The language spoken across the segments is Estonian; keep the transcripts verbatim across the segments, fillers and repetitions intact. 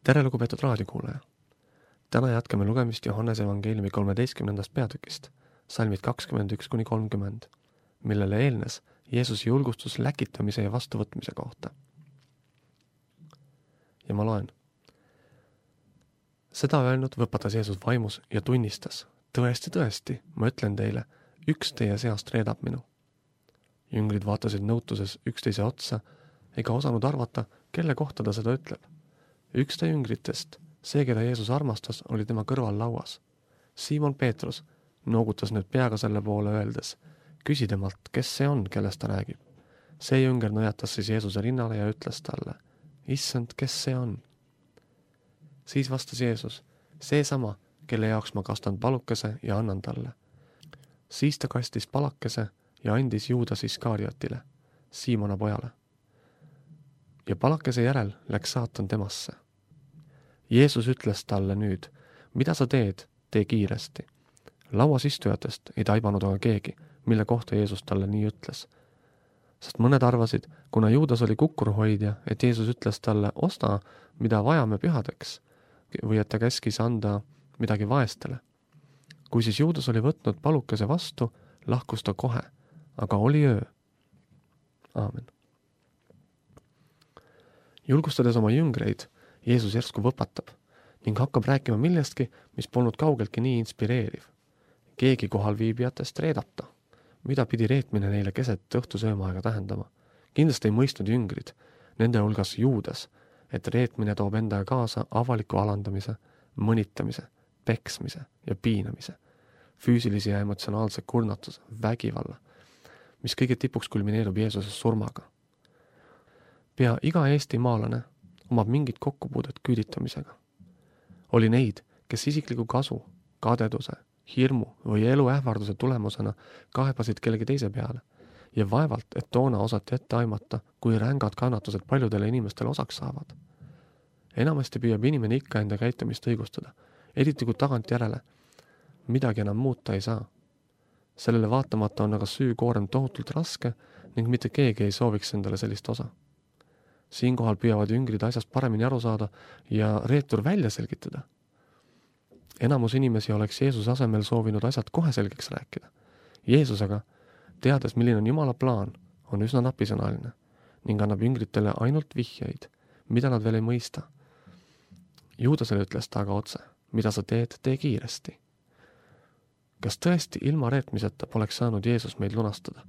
Tere, lugupeetud raadiokuulaja! Täna jätkame lugemist Johannese evangeeliumi kolmeteistkümnendast peatükist, salmid kakskümmend üks kuni kolmkümmend, millele eelnes Jeesuse julgustus läkitamise ja vastuvõtmise kohta. Ja ma loen. Seda öelnud võpatas Jeesus vaimus ja tunnistas, tõesti, tõesti, ma ütlen teile, üks teie seast reedab minu. Jüngrid vaatasid nõutuses üksteise otsa ega osanud arvata, kelle kohta ta seda ütleb. Üks ta jüngritest, see, keda Jeesus armastas, oli tema kõrval lauas. Siimon Peetrus noogutas nüüd peaga selle poole öeldes, küsi temalt, kes see on, kellest ta räägib. See jünger nõjatas siis Jeesuse rinnale ja ütles talle, issand, kes see on? Siis vastas Jeesus, seesama, kelle jaoks ma kastan palukese ja annan talle. Siis ta kastis palakese ja andis Juudas Iskariotile, Siimona pojale. Ja palakese järel läks saatan temasse. Jeesus ütles talle nüüd, mida sa teed, tee kiiresti. Lauas istujatest ei taibanud aga keegi, mille kohta Jeesus talle nii ütles. Sest mõned arvasid, kuna Juudas oli kukkuruhoidja, et Jeesus ütles talle, osta, mida vajame pühadeks, või et ta käskis anda midagi vaestele. Kui siis Juudas oli võtnud palukese vastu, lahkus ta kohe, aga oli öö. Aamen. Julgustades oma jüngreid, Jeesus järsku võpatab ning hakkab rääkima millestki, mis polnud kaugeltki nii inspireeriv. Keegi kohal viibijatest reedab ta, mida pidi reetmine neile keset õhtusöömaaega tähendama. Kindlasti ei mõistnud jüngrid, nende hulgas Juudas, et reetmine toob endaga kaasa avaliku alandamise, mõnitamise, peksmise ja piinamise, füüsilise ja emotsionaalse kurnatuse, vägivalla, mis kõige tipuks kulmineerub Jeesuse surmaga. Pea iga Eesti maalane omab mingit kokkupuudet küüditamisega. Oli neid, kes isikliku kasu, kadeduse, hirmu või elu ähvarduse tulemusena kaebasid kellegi teise peale ja vaevalt, et toona osati ette aimata, kui rängad kannatused paljudele inimestele osaks saavad. Enamasti püüab inimene ikka enda käitumist õigustada, eriti kui tagantjärele midagi enam muuta ei saa. Sellele vaatamata on aga süü-koorem tohutult raske ning mitte keegi ei sooviks endale sellist osa. Siinkohal püüavad jüngrid asjast paremini aru saada ja reetur välja selgitada. Enamus inimesi oleks Jeesuse asemel soovinud asjad kohe selgeks rääkida. Jeesus aga, teades, milline on Jumala plaan, on üsna napisõnaline ning annab jüngritele ainult vihjeid, mida nad veel ei mõista. Juudasele ütles ta aga otse, mida sa teed, tee kiiresti. Kas tõesti ilma reetmiseta poleks saanud Jeesus meid lunastada?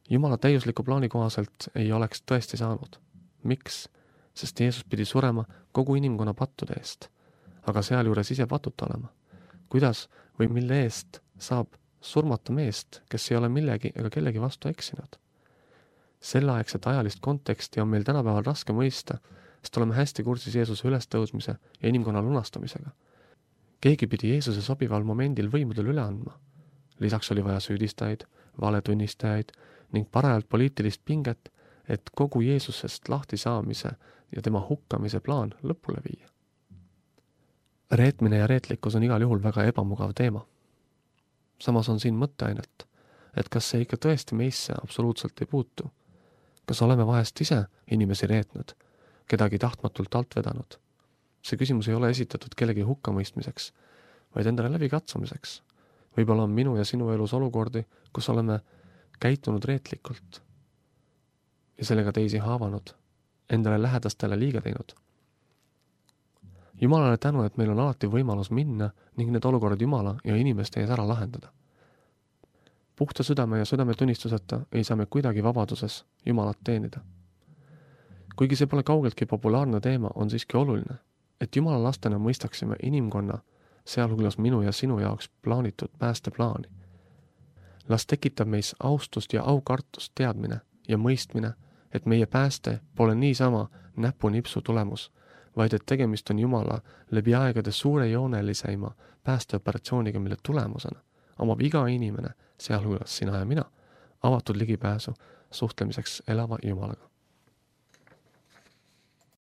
Jumala täiusliku plaani kohaselt ei oleks tõesti saanud. Miks? Sest Jeesus pidi surema kogu inimkonna pattude eest, aga sealjuures ise patuta olema. Kuidas või mille eest saab surmata meest, kes ei ole millegi ega kellegi vastu eksinud? Selleaegset ajalist konteksti on meil tänapäeval raske mõista, sest oleme hästi kursis Jeesuse ülestõusmise ja inimkonna lunastamisega. Keegi pidi Jeesuse sobival momendil võimudel üle andma. Lisaks oli vaja süüdistajaid, valetunnistajaid ning parajalt poliitilist pinget, et kogu Jeesusest lahti saamise ja tema hukkamise plaan lõpule viia. Reetmine ja reetlikkus on igal juhul väga ebamugav teema. Samas on siin mõtteainet, et kas see ikka tõesti meisse absoluutselt ei puutu. Kas oleme vahest ise inimesi reetnud, kedagi tahtmatult alt vedanud? See küsimus ei ole esitatud kellegi hukkamõistmiseks, vaid endale läbi katsumiseks. Võib-olla on minu ja sinu elus olukordi, kus oleme käitunud reetlikult ja sellega teisi haavanud, endale lähedastele liiga teinud. Jumalale tänu, et meil on alati võimalus minna ning need olukorrad Jumala ja inimeste ees ära lahendada. Puhta südame ja südametunnistuseta ei saa me kuidagi vabaduses Jumalat teenida. Kuigi see pole kaugeltki populaarne teema, on siiski oluline, et Jumala lastena mõistaksime inimkonna, sealhulgas minu ja sinu jaoks plaanitud päästeplaani. Las tekitab meis austust ja aukartust teadmine ja mõistmine, et meie pääste pole niisama näpunipsu tulemus, vaid et tegemist on Jumala läbi aegade suure jooneliseima päästeoperatsiooniga, mille tulemusena omab iga inimene, sealhulgas sina ja mina, avatud ligipääsu suhtlemiseks elava Jumalaga.